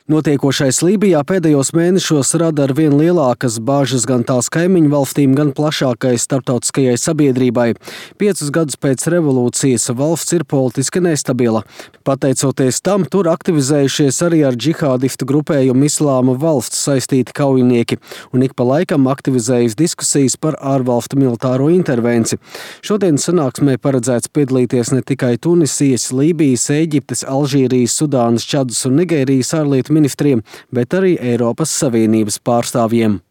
Notiekošais Lībijā pēdējos mēnešos rada arvien lielākas bāžas gan tās kaimiņu valstīm, gan plašākai starptautiskajai sabiedrībai. 5 gadus pēc revolūcijas valsts ir politiski nestabila. Pateicoties tam, tur aktivizējušies arī ar džihādistu grupējumu Islāma valsts saistīti kaujinieki un ik pa laikam aktivizējas diskusijas par ārvalstu militāro intervenciju. Šodien sanāksmē paredzēts piedalīties ne tikai Tunisijas, Lībijas, Ēģiptes, Alžīrijas, Sudānas, Čadas un Nigērijas ārlietu ministriem, bet arī Eiropas Savienības pārstāvjiem.